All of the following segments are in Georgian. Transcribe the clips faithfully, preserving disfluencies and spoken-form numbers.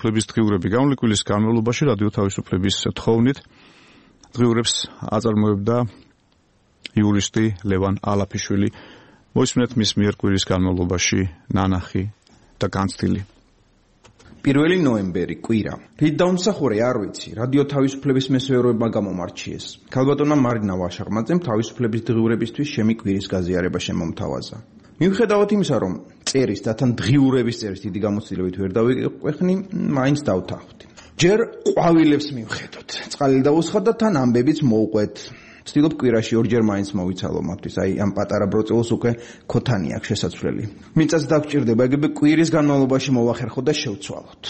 თავისუფლების დღიურები გამლიკვილის განმავლობაში რადიო თავისუფლების თხოვნით დღიურებს აწარმოებდა იურისტი ლევან ალაფიშვილი. მოისმინეთ მის მიერ კვირის განმავლობაში ნანახი და განცდილი. პირველი ნოემბერი კვირა. რით დაუმსახურე არ ვიცი. რადიო თავისუფლების მესვეურებმა გამომარჩიეს. ქალბატონმა მარინა ვაშაღმაძემ თავისუფლების დღიურებისთვის შემი კვირის გაზიარება შემომთავაზა. მიუხედავად იმისა, რომ წერის და თან დღიურების წერის დიდი გამოცდილებით ვერ დავიყვეხნი, მაინც დავთანხმდი. ჯერ ყვავილებს მივხედოთ. წყალი დავუსხა და თან ამბებიც მოვყვეთ. ვცდილობ კვირაში ორჯერ მაინც მოვიცალო მათთვის, აი ამ პატარა ბროწეულს უკვე ქოთანი აქვს შესაძლებელი. მიწაც დაგჭირდება, ეგრევე კვირის განმავლობაში მოვახერხოთ და შევცვალოთ.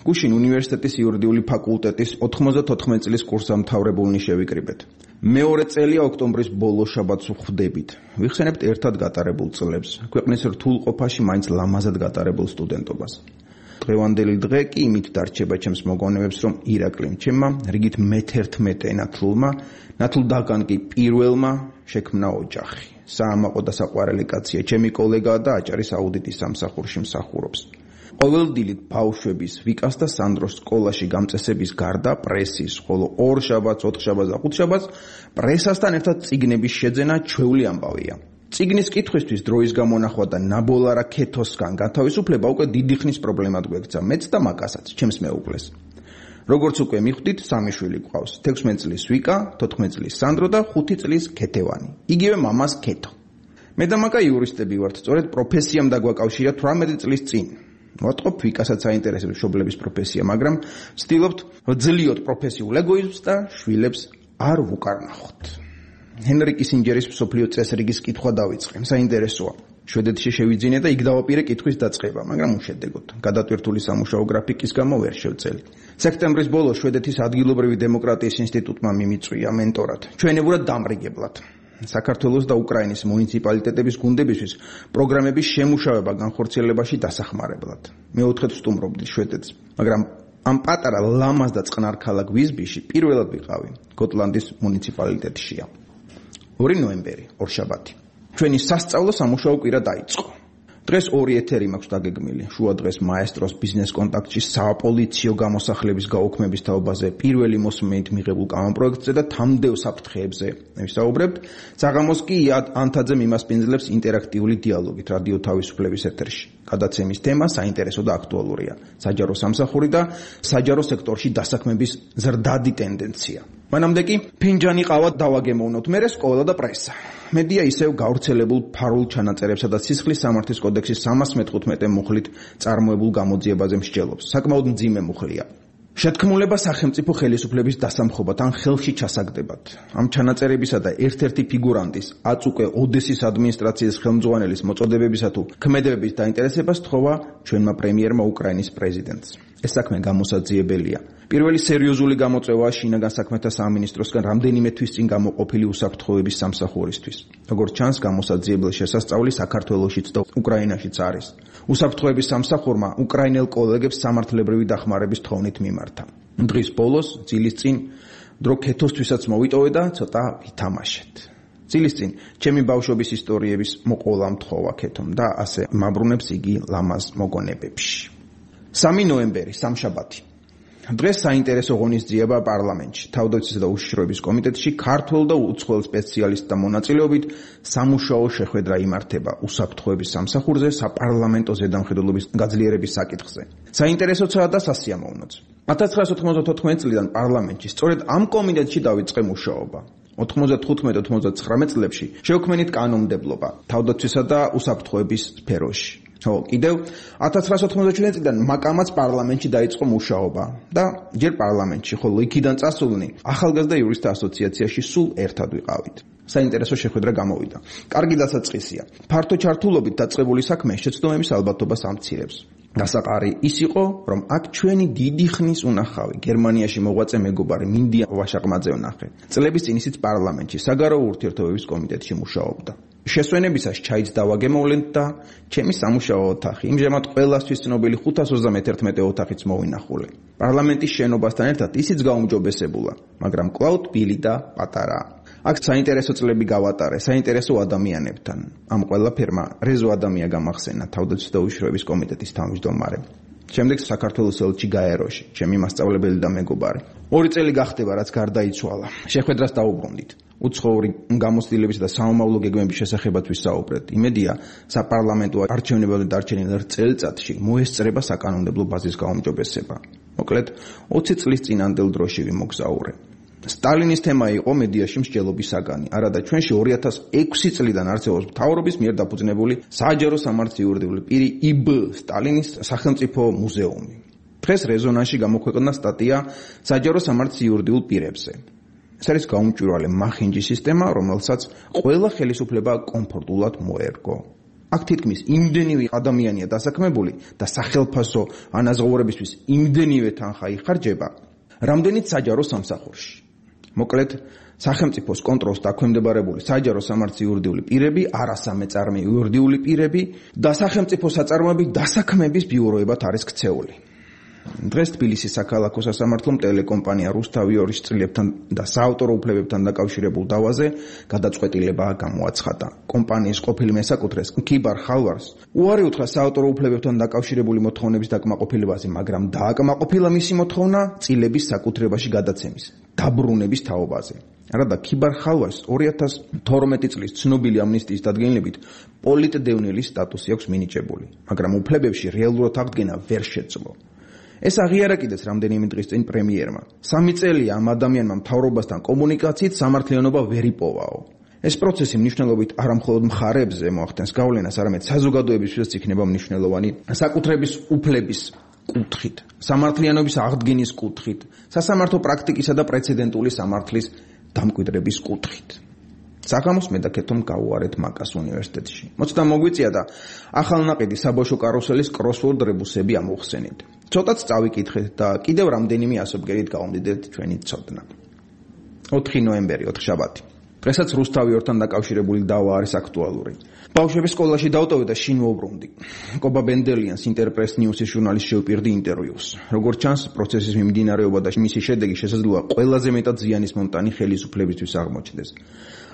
გუშინ უნივერსიტეტის იურიდიული ფაკულტეტის ოთხმოცდათოთხმეტ წლის კურსდამთავრებულნი შევიკრიბეთ. მეორე წელია ოქტომბრის ბოლო შაბათს ვხვდებით. ვიხსენებთ ერთად გატარებულ წლებს, ქვეყნის რთულ ყოფაში მაინც ლამაზად გატარებულ სტუდენტობას. დღევანდელი დღე კი იმით დარჩება ჩემს მოგონებებს, რომ ირაკლიმ ჩემმა რიგით მეთერთმეტე ნათლულმა, ნათლუდაგან კი პირველმა შექმნა ოჯახი. საამაყო და საყვარელი კაცია, ჩემი კოლეგაა და აჭარის აუდიტის სამსახურში მსახურობს. ყოველდილით ბავშვების, ვიკას და სანდროს სკოლაში გამწესების გარდა პრესის, ხოლო ორ შაბათს, ოთხ შაბათს და ხუთ შაბათს პრესასთან ერთად წიგნების შეძენა ჩვეული ამბავია. წიგნის კითხვისთვის დროის გამონახვა და ნაბოლარა ქეთოსგან გათავისუფლება უკვე დიდი ხნის პრობლემად გვექცა მეც და მაკასაც, ჩემს მეუღლეს. როგორც უკვე მიხვდით, სამი შვილი გვყავს. თექვსმეტ წლის ვიკა, თოთხმეტ წლის სანდრო და ხუთი წლის ქეთევანი. იგივე მამას ქეთო. მე და მაკა იურისტები ვართ, სწორედ პროფესიამ დაგვაკავშირა თვრამეტი წლის წინ. ვატყობ ვიკასაც აინტერესებს მშობლების პროფესია, მაგრამ ვცდილობთ ვძლიოთ პროფესიულ ეგოიზმს და შვილებს არ ვუკარნახოთ. ჰენრი კისინჯერის მსოფლიო წესრიგის კითხვა დავიწყე. საინტერესოა. შვედეთში შევიძინე და იქ დავაპირე კითხვის დაწყება, მაგრამ უშედეგოდ. გადატვირთული სამუშაო გრაფიკის გამო ვერ შევწელი. სექტემბრის ბოლოს შვედეთის ადგილობრივი დემოკრატიის ინსტიტუტმა მიმიწვია მენტორად, ჩვენებურად დამრიგებლად. საქართველოს და უკრაინის მუნიციპალიტეტების გუნდებისთვის პროგრამების შემუშავება განხორციელებაში დასახმარებლად. მეოთხედ ვსტუმრობდი შვედეთს, მაგრამ ამ პატარა ლამაზ და წყნარ ქალაქ ვიზბიში პირველად ვიყავი, გოტლანდის მუნიციპალიტეტშია. ორი ნოემბერი, ორშაბათი. ჩვენი სასწავლო სამუშაო კვირა დაიწყო. დღეს ორი ეთერი მაქვს დაგეგმილი. შუა დღეს მაესტროს ბიზნეს კონტაქტში საპოლიციო გამოსახლების გაუქმების თაობაზე პირველი მოსმენით მიღებულ კამაპროექტზე და თამდევ საფრთხეებზე ვისაუბრებთ. საღამოს კი ანთაძემ იმასპინძლებს ინტერაქტიული დიალოგით რადიო თავისუფლების ეთერში. გადაცემის თემა საინტერესო და აქტუალურია. საჯარო სამსახური და საჯარო სექტორში დასაქმების ზრდადი ტენდენცია. მანამდე კი ფინჯანი ყავა დავაგემოვნოთ, მერე სკოლა და პრესა. მედია ისევ გავრცელებულ ფარულ ჩანაწერებსა და სისხლის სამართლის კოდექსის სამას მეთხუთმეტე მუხლით წარმოებულ გამოძიებაზე მსჯელობს. საკმაოდ მძიმე მუხლია. შეთქმულება სახელმწიფო ხელისუფლების დასამხობად ან ხელში ჩასაგდებად. ამ ჩანაწერებისა და ერთ-ერთი ფიგურანტის, აწუკე ოდესის ადმინისტრაციის ხელმძღვანელის მოწოდებებისა თუ ქმედებების დაინტერესებას თხოვა ჩვენმა პრემიერმა უკრაინის პრეზიდენტს. ეს საქმე გამოსაძიებელია. პირველი სერიოზული გამოწვევაა შინაგან საქმეთა სამინისტროსგან რამდენიმე თვის წინ გამოყოფილი უსაფრთხოების სამსახურისთვის. როგორც ჩანს, გამოსაძიებელი შესასწავლი საქართველოშიც და უკრაინაშიც არის. უსაფრთხოების სამსახურმა უკრაინელ კოლეგებს სამართლებრივი დახმარების თხოვნით მიმართა. დღის ბოლოს, ძილის წინ, დრო ქეთოსთვისაც მოვიტოვე და ცოტა ვითამაშეთ. ძილის წინ, ჩემი ბავშვობის ისტორიების მოყოლა მთხოვა ქეთომ და ასე მაბრუნებს იგი ლამაზ მოგონებებში. სამი ნოემბერი, სამშაბათი. დღეს საინტერესო ღონისძიება პარლამენტში, თავდაცვის და უშიშროების კომიტეტში ქართველ და უცხოელ სპეციალისტთა მონაწილეობით სამუშაო შეხვედრა იმართება უსაფრთხოების სამსახურზე საპარლამენტო ზედამხედველობის გაძლიერების საკითხზე. საინტერესოცაა და სასიამოვნოც. ათას ცხრაასი ოთხმოცდათოთხმეტი წლიდან პარლამენტში სწორედ ამ კომიტეტში დავიწყე მუშაობა. ოთხმოცდათხუთმეტ ოცდაათმეტ წლებში შევქმნით კანონმდებლობა თავდაცვისა და უსაფრთხოების სფეროში. ხო, კიდევ ათას ცხრაასი ოთხმოცდაჩვიდმეტ წლიდან მაკამაც პარლამენტში დაიწყო მუშაობა და ჯერ პარლამენტში, ხოლო იქიდან წასულნი ახალგაზრდა იურისტთა ასოციაციაში სულ ერთად ვიყავით. საინტერესო შეხვედრა გამოვიდა. კარგი დასაწყისია. ფართო ჩართულობით დაწყებული საქმე შეცდომების ალბათობას ამცირებს. დასაყარი ის იყო, რომ აქ ჩვენი დიდი ხნის უნახავი გერმანიაში მოღვაწე მეგობარი მინდია ვაშაღმაძე ვნახე. წლების წინ ისიც პარლამენტში საგარეო ურთიერთობების კომიტეტში მუშაობდა. შესვენებისას ჩაიც დავაგემოვლენთ და ჩემი სამუშაო ოთახი, იმჟამად ყველასთვის ცნობილი ხუთას ოცდამეთერთმეტე ოთახიც მოვინახულე. პარლამენტის შენობასთან ერთად ისიც გაუმჯობესებულა, მაგრამ კვლავ თბილი და პატარაა. აქ საინტერესო წლები გავატარე, საინტერესო ადამიანებთან. ამ ყველაფერმა რეზო ადამია გამახსენა თავდაცვის და უშიშროების კომიტეტის თავმჯდომარემ. შემდეგ საქართველოს ელჩი გაეროში, ჩემი მასწავლებელი და მეგობარი. ორი წელი გახდება, რაც გარდაიცვალა. შეხვედრას დაუბრუნდით. უცხოური გამოცდილების და საომავლო გეგმების შესახებაც ვისაუბრეთ. იმედია, საპარლამენტო არჩევნებამდე დარჩენილ წელიწადში მოესწრება საკანონმდებლო ბაზის გაუმჯობესება. მოკლედ, ოცი წლის წინანდელ დროში ვიმოგზაურე. სტალინის თემა იყო მედიაში მსჯელობის საგანი. არადა ჩვენში ორი ათას ექვსი წლიდან არსებობს მთავრობის მიერ დაფუძნებული საჯარო სამართლის იურიდიული პირი იბ სტალინის სახელმწიფო მუზეუმი. დღეს რეზონანსში გამოქვეყნდა სტატია საჯარო სამართლის იურიდიულ პირებზე. ეს არის გაუმჭვირვალე მახინჯი სისტემა, რომელსაც ყველა ხელისუფლება კომფორტულად მოერგო. აქ თითქმის იმდენივე ადამიანია დასაქმებული და სახელფასო ანაზღაურებისთვის იმდენივე თანხა იხარჯება, რამდენიც საჯარო სამსახურში. მოკლედ, სახელმწიფოს კონტროლს დაქვემდებარებული საჯარო სამართლის იურიდიული პირები, არასამეწარმე იურიდიული პირები და სახელმწიფო საწარმოები დასაქმების ბიუროებად არის ქცეული. დღეს თბილისის საქალაქო სასამართლომ ტელეკომპანია რუსთავი-ორის წლებთან და საავტორო უფლებებთან დაკავშირებულ დავაზე გადაწყვეტილება გამოაცხადა. კომპანიის ყოფილი მესაკუთრეს ქიბარ ხალვარს უარი უთხრა საავტორო უფლებებთან დაკავშირებული მოთხოვნების დაკმაყოფილებაზე, მაგრამ დააკმაყოფილა მისი მოთხოვნა წილების საკუთრებაში გადაცემის, დაბრუნების თაობაზე. რადგან ქიბარ ხალვარს ორი ათას თორმეტი წლის ცნობილი ამნისტიის დადგენილებით პოლიტდევნილის სტატუსი აქვს მინიჭებული, მაგრამ უფლებებში რეალურად აღდგენა ვერ შეძლო. ეს აღიარა კიდეც რამდენიმე დღის წინ პრემიერმა. სამი წელია ამ ადამიანმა მთავრობასთან კომუნიკაციით სამართლიანობა ვერ იპოვაო. ეს პროცესი მნიშვნელობით არა მხოლოდ მხარეებზე მოახდენს გავლენას, არამედ საზოგადოებისთვისაც იქნება მნიშვნელოვანი საკუთრების უფლების კუთხით, სამართლიანობის აღდგენის კუთხით, სასამართლო პრაქტიკისა და პრეცედენტული სამართლის დამკვიდრების კუთხით. საღამოს მე დაკეთომ გავუარეთ მაკას უნივერსიტეტში. მოცდა მოგვიწია და ახალნაყიდი საბავშვო კარუსელის კროსვორდ რებუსები ამოვხსენით. ცოტაც წავიკითხეთ და კიდევ რამდენიმე ასობგერით გავამდიდეთ ჩვენი ცოდნა. ოთხი ნოემბერი, ოთხშაბათი. დღესაც რუსთავი-ორთან დაკავშირებული დავა არის აქტუალური. ბავშვები სკოლაში დავტოვე და შინ მოვბრუნდი. კობა ბენდელიანს ინტერპრეს ნიუსის ჟურნალის შევპირდი ინტერვიუს. როგორც ჩანს, პროცესის მიმდინარეობა და მისი შედეგი შესაძლოა ყველაზე მეტად ზიანის მომტანი ხელისუფლებისთვის აღმოჩნდეს.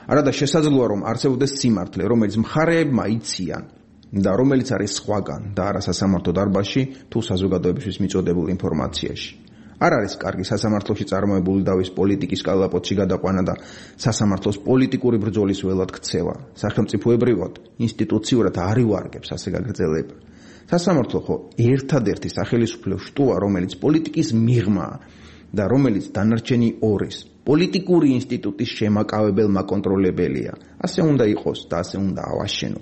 არადა შესაძლოა რომ არსებობდეს სიმართლე, რომელიც მხარეებმა იციან და რომელიც არის სხვაგან და არა სასამართლო დარბაზში თუ საზოგადოებისთვის მიწოდებულ ინფორმაციაში. არ არის კარგი სასამართლოში წარმოებული დავის პოლიტიკის კალაპოტში გადაყვანა და სასამართლოს პოლიტიკური ბრძოლის ველად ქცევა. სახელმწიფოებრივად, ინსტიტუციურად არ ივარგებს ასე გაგრძელება. სასამართლო ხო ერთადერთი სახელისუფლო შტოა, რომელიც პოლიტიკის მიღმაა და რომელიც დანარჩენი ორის პოლიტიკური ინსტიტუტის შემაკავებელ მაკონტროლებელია. ასე უნდა იყოს და ასე უნდა ავაშენო.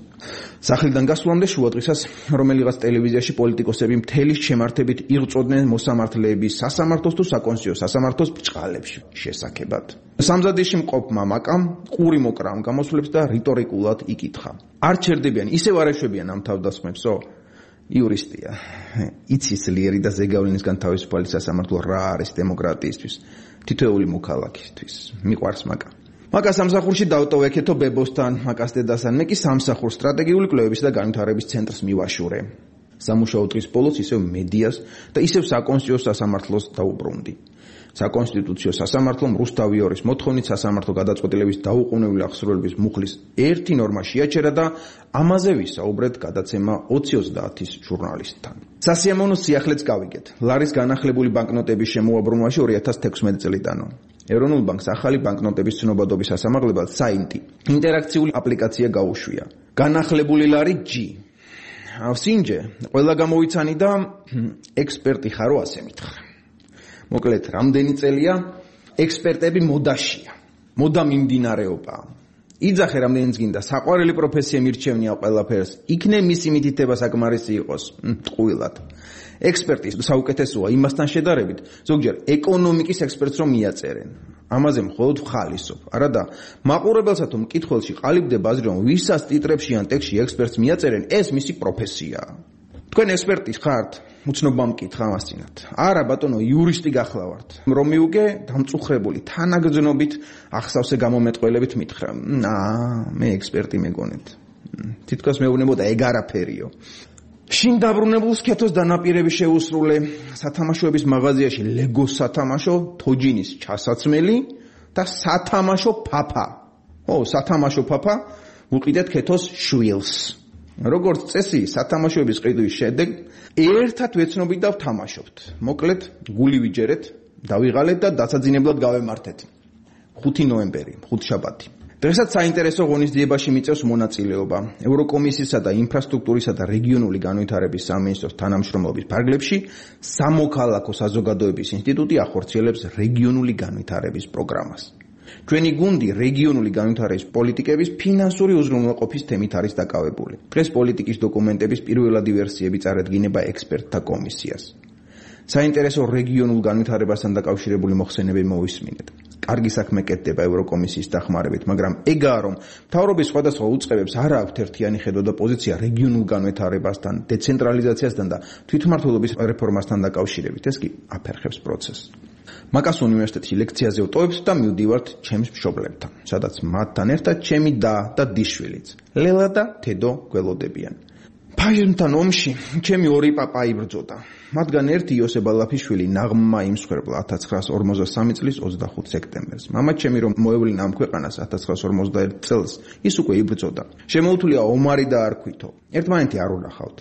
სახლიდან გასვლამდე შუადღისას რომელიღაც ტელევიზიაში პოლიტიკოსები მთელი შემართებით იღწოდნენ მოსამართლეების სასამართლოს თუ საკონსტიტუციო სასამართლოს ბრჭყალებში შესახებად. სამზადისში მყოფმა მაკამ ყური მოკრა ამ გამოსვლებს და რიტორიკულად იკითხა. არ ჩერდებიან, ისევ არ ეშვებიან ამ თავდასხმებსო? იურისტია. იცის ძლიერი და ზეგავლენისგან თავისუფალი სასამართლო რა არის დემოკრატიისთვის, თითოეული მოქალაქისთვის. მიყვარს მაკა. მაკა სამსახურში დავტოვეკეთო ბებოსთან, მაკას დედასთან, მე კი სამსახურ სტრატეგიული კვლევების და განვითარების ცენტრს მივაშურე. სამუშაო დღის ბოლოს ისევ მედიას და ისევ საკონსტიტუციო სასამართლოს დაუბრუნდი. საკონსტიტუციო სასამართლომ რუსთავი-ორის მოთხოვნით სასამართლო გადაწყვეტილების დაუყოვნებლივ აღსრულების მუხლის ერთი ნორმა შეაჩერა და ამაზე ვისაუბრეთ გადაცემა ოცი ოცდაათის ჟურნალისტთან. სასიამოვნო სიახლეც გავიგეთ. ლარის განახლებული ბანკნოტების შემოაბრუნვაში ორი ათას თექვსმეტი წლიდანო. ეროვნულ ბანკს ახალი ბანკნოტების ცნობადობის სასამართლებად საინტი ინტერაქციული აპლიკაცია გაუშვია. განახლებული ლარი G. ავსინჯე, ყველა გამოვიცანი და ექსპერტი ხარო ასე მითხრა. მოკლედ, რამდენი წელია ექსპერტები მოდაშია. მოდა მიმდინარეობაა. იძახე რამდენიც გინდა საყვარელი პროფესია მირჩევნია ყველაფერს. იქნე მისი მითითება საკმარისი იყოს. ტყუილად. ექსპერტის საუკეთესოა იმასთან შედარებით, ზოგჯერ ეკონომიკის ექსპერტს რომ მიაწერენ. ამაზე მხოლოდ ვხალისობ. არადა მაყურებელსა თუ მკითხველში ყალიბდება აზრი რომ ვისაც ტიტრებში ან ტექსტში ექსპერტს მიაწერენ, ეს მისი პროფესიაა. თქვენ ექსპერტი ხართ? უცნობა მკითხა მასწინათ. არა ბატონო, იურისტი გახლავართ. რომ მიუგე დამწუხრებული თანაგრძნობით ახსავსე გამომეტყველებით მითხრა. აა, მე ექსპერტი მეგონეთ. თითქოს მეუბნებოდა ეგ არაფერიო. შინ დაბრუნებულს ქეთოს დანაპირები შეუსრულე. სათამაშოების მაღაზიაში ლეგოს სათამაშო, თოჯინის ჩასაცმელი და სათამაშო ფაფა. ო, სათამაშო ფაფა, უყიდეთ ქეთოს შვილს. როგორც წესი, სათამაშოების ყიდვის შედეგ ერთად ვეცნობით და ვთამაშობთ. მოკლედ, გული ვიჯერეთ, დავიღალეთ და დასაძინებლად გავემართეთ. ხუთი ნოემბერი, ხუთშაბათი. დღესაც საინტერესო ღონისძიებაში მიწევს მონაწილეობა. ევროკომისიისა და ინფრასტრუქტურისა და რეგიონული განვითარების სამინისტროს თანამშრომლობის ფარგლებში სამოქალაქო საზოგადოების ინსტიტუტი ახორციელებს რეგიონული განვითარების პროგრამას. ჩვენი გუნდი რეგიონული განვითარების პოლიტიკების ფინანსური უზრუნველყოფის თემით არის დაკავებული. დღეს პოლიტიკის დოკუმენტების პირველადი ვერსიები წარედგინება ექსპერტთა კომისიას. საინტერესო რეგიონულ განვითარებასთან დაკავშირებული მოხსენები მოვისმინეთ. კარგი საქმე კეთდება ევროკომისიის დახმარებით, მაგრამ ეგაა რომ მთავრობის სხვადასხვა უწყებებს არ აქვთ ერთიანი ხედვა და პოზიცია რეგიონულ განვითარებასთან, დეცენტრალიზაციასთან და თვითმმართველობის რეფორმასთან დაკავშირებით. ეს კი აფერხებს პროცესს. მაკას უნივერსიტეტში ლექციაზე ვტოვებთ და მივდივართ ჩემს მშობლებთან, სადაც მათთან ერთად ჩემი და და დიშვილიც, ლელა და თედო გველოდებიან. ფაშიზმთან ომში ჩემი ორი პაპა იბრძოდა. მათგან ერთი იოსებ ალაფიშვილი ნაღმმა იმსხვერპლა ათას ცხრაას ორმოცდასამი წლის ოცდახუთი სექტემბერს. მამა ჩემი რომ მოევლინა ამ ქვეყანას ათას ცხრაას ორმოცდაერთი წელს, ის უკვე იბრძოდა. შემოუთვლია ომარი და არ ქვითო. ერთმანეთი არ უნახავთ.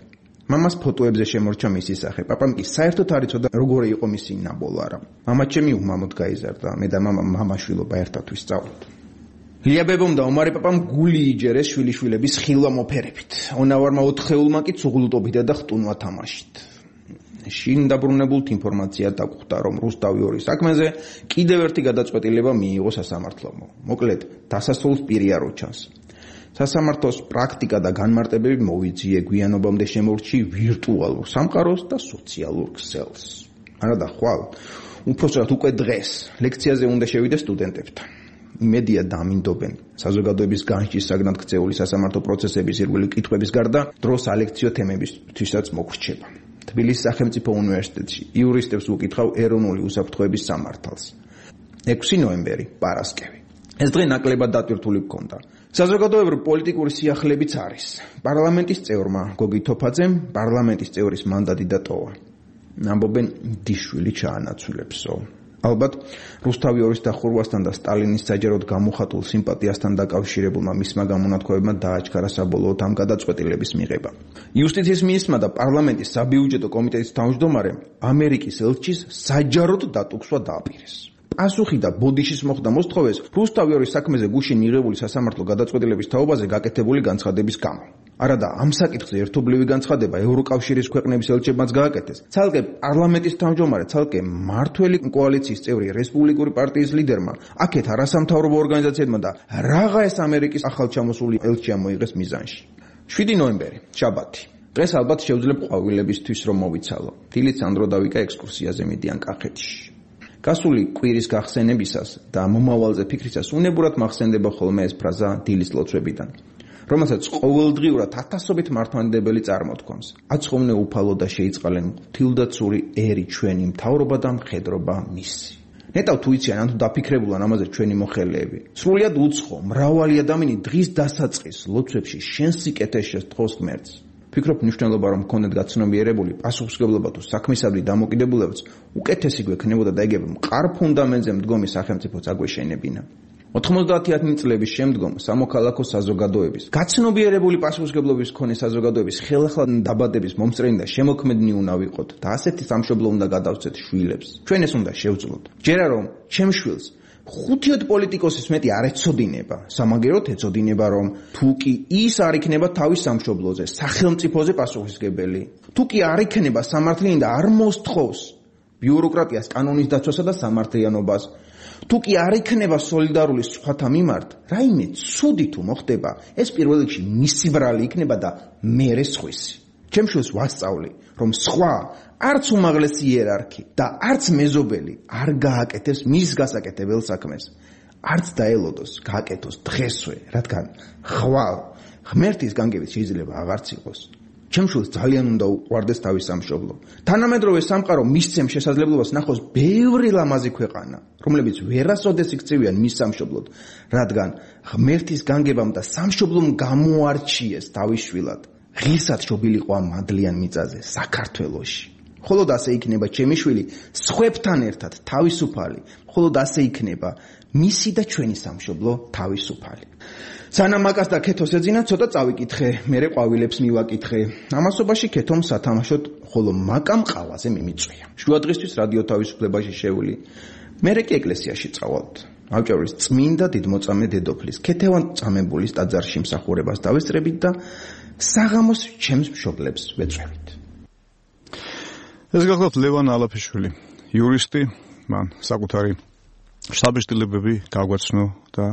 მამას ფოტოებზე შემორჩა მისი სახე. პაპამ კი საერთოდ არ იცოდა როგორი იყო მისი ნაბოლარა. მამა ჩემი უმამოდ გაიზარდა. მე და მამა მამაშვილობა ერთად ვისწავლოთ. ლიაბებომ და ომარი პაპამ გული იჯერეს შვილიშვილების ხილვა მოფერებით. ონავარმა ოთხეულმა კი ცუღლუტობითა და ხტუნვა თამაშით. შინ დაბრუნებულთ ინფორმაცია დაგხვდა, რომ რუსთავი ორი საქმეზე კიდევ ერთი გადაწყვეტილება მიიღო სასამართლომ. მოკლედ, დასასრულს პირი არ უჩანს. სასამართლოს პრაქტიკა და განმარტებები მოვიძიე გვიანობამდე შემორჩი ვირტუალურ სამყაროს და სოციალურ ქსელს. არადა ხვალ, უпроსტად უკვე დღეს ლექციაზე უნდა შევიდე სტუდენტებთან. იმედია დამინდობენ. საზოგადოების განჭის საგნად ქცეული სასამართლო პროცესების ირგვლივ კითხვების გარდა დროს ალექციო თემებისთვისაც მოგრჩება. თბილისის სახელმწიფო უნივერსიტეტში იურისტებს უკითხავ ეროვნული უსაფრთხოების სამართალს. ექვსი ნოემბერი, პარასკევი. ეს დღე ნაკლებად დატვირთული გქონდა. საზოგადოებრივი პოლიტიკური სიახლეებიც არის. პარლამენტის წევრმა გოგი თოფაძემ პარლამენტის წევრის მანდატი დატოვა. ამბობენ დიშვილი ჩაანაცვლებსო. ალბათ რუსთავი ორის დახურვასთან და სტალინის საჯაროდ გამოხატულ სიმპათიასთან დაკავშირებულმა მისმა გამონათქვამებმა დააჩქარა საბოლოოდ ამ გადაწყვეტილების მიღება. იუსტიციის მინისტრმა და პარლამენტის საბიუჯეტო კომიტეტის თავმჯდომარემ ამერიკის ელჩის საჯაროდ დატუქსვა დააპირეს. პასუხი და ბოდიშის მოხდა მოსთხოვეს რუსთავი ორის საქმეზე გუშინ მიღებული სასამართლო გადაწყვეტილების თაობაზე გაკეთებული განცხადების გამო. არადა ამ საკითხზე ერთობლივი განცხადება ევროკავშირის ქვეყნების ელჩებმაც გააკეთეს. ცალკე პარლამენტის თავმჯდომარე, ცალკე მმართველი კოალიციის წევრი რესპუბლიკური პარტიის ლიდერმა, აქეთ არასამთავრობო ორგანიზაციებმა და რაღაცა ამერიკის ახალჩამოსული ელჩია მოიღეს მიზანში. შვიდი ნოემბერი, შაბათი. დღეს ალბათ შევძლებ ყვავილებისთვის რომ მოვიცალო. დილით სანდრო დავიკა ექსკურსიაზე მიდიან კახეთში. გასული კვირის გახსენებისას და მომავალზე ფიქრისას უნებურად მახსენდება ხოლმე ეს ფრაზა დილის ლოცვებიდან, რომელსაც ყოველდღიურად ათასობით მართლმადიდებელი წარმოთქვამს. აცხოვნე უფალო და შეიწყალენ ღვთილდაცური ერი ჩვენი მთავრობა და მხედრობა მისი. ნეტავ თუ იციან ან თუ დაფიქრებულან ამაზე ჩვენი მოხელეები. სრულიად უცხო, მრავალი ადამიანი დღის დასაწყის ლოცვებში შენ სიკეთეს თხოვს ღმერთს. ფიქრობ მნიშვნელობა რომ მქონდეთ გაცნობიერებული პასუხისმგებლობა თუ საქმისადმი დამოკიდებულებაც უკეთესი გვექნებოდა და ეგ მყარ ფუნდამენტზე მდგომი სახელმწიფოც აგვეშენებინა. ოთხმოცდაათი წლების შემდგომ სამოქალაქო საზოგადოების გაცნობიერებული პასუხისმგებლობის მქონე საზოგადოების ხელახლა დაბადების მომსწრენი და შემოქმედნი უნდა ვიყოთ და ასეთი სამშობლო უნდა გადავცეთ შვილებს. ჩვენ ეს უნდა შევძლოთ. ჯერა რომ ჩემ შვილს ხუთიოდ პოლიტიკოსის მეტი არ ეცოდინება, სამაგეროდ ეცოდინება რომ თუ კი ის არ იქნება თავის სამშობლოზე, სახელმწიფოზე პასუხისმგებელი, თუ კი არ იქნება სამართლიანი და არ მოსთხოვს ბიუროკრატიას, კანონის დაცვასა და სამართლიანობას, თუ კი არ იქნება სოლიდარული სხვათა მიმართ, რაიმე ცუდი თუ მოხდება, ეს პირველ რიგში მისი ბრალი იქნება და მერე სხვისი. ჩემ შვილს ვასწავლი, რომ სხვა არც უმაღლესი იერარქი და არც მეზობელი არ გააკეთებს მის გასაკეთებელ საქმეს. არც დაელოდოს, გააკეთოს დღესვე, რადგან ხვალ ღმერთის განგებით შეიძლება აღარც იყოს. ჩემ შვილს ძალიან უნდა უყვარდეს თავის სამშობლო. თანამედროვე სამყარო მისცემ შესაძლებლობას ნახოს ბევრი ლამაზი ქვეყანა, რომლებიც ვერასოდეს იქცევიან მის სამშობლოდ, რადგან ღმერთის განგებამ და სამშობლომ გამოარჩიეს თავის შვილად. ღირსად შობილიყო ამ მადლიან მიწაზე, საქართველოში. მხოლოდ ასე იქნება ჩემი შვილი სხვებთან ერთად თავისუფალი, მხოლოდ ასე იქნება მისი და ჩვენი სამშობლო თავისუფალი. სანამ მაკას და ქეთოს ეძინა, ცოტა წავიკითხე, მერე ყვავილებს მივაკითხე. ამასობაში ქეთომ სათამაშოდ, ხოლო მაკამ ყავაზე მიმიწვია. შუადღისთვის რადიო თავისუფლებაში შევული. მერე კი ეკლესიაში წავალთ. ავჭარის წმინდა დიდმოწამე დედოფლის ქეთევან წამებულის ტაძარში მსახურებას დავესწრებით და საღამოს ჩემს მშობლებს ვეწვევით. ეს გახლავთ ლევან ალაფიშვილი, იურისტი, მან საკუთარი შთაბეჭდილებები გაგვაცნო და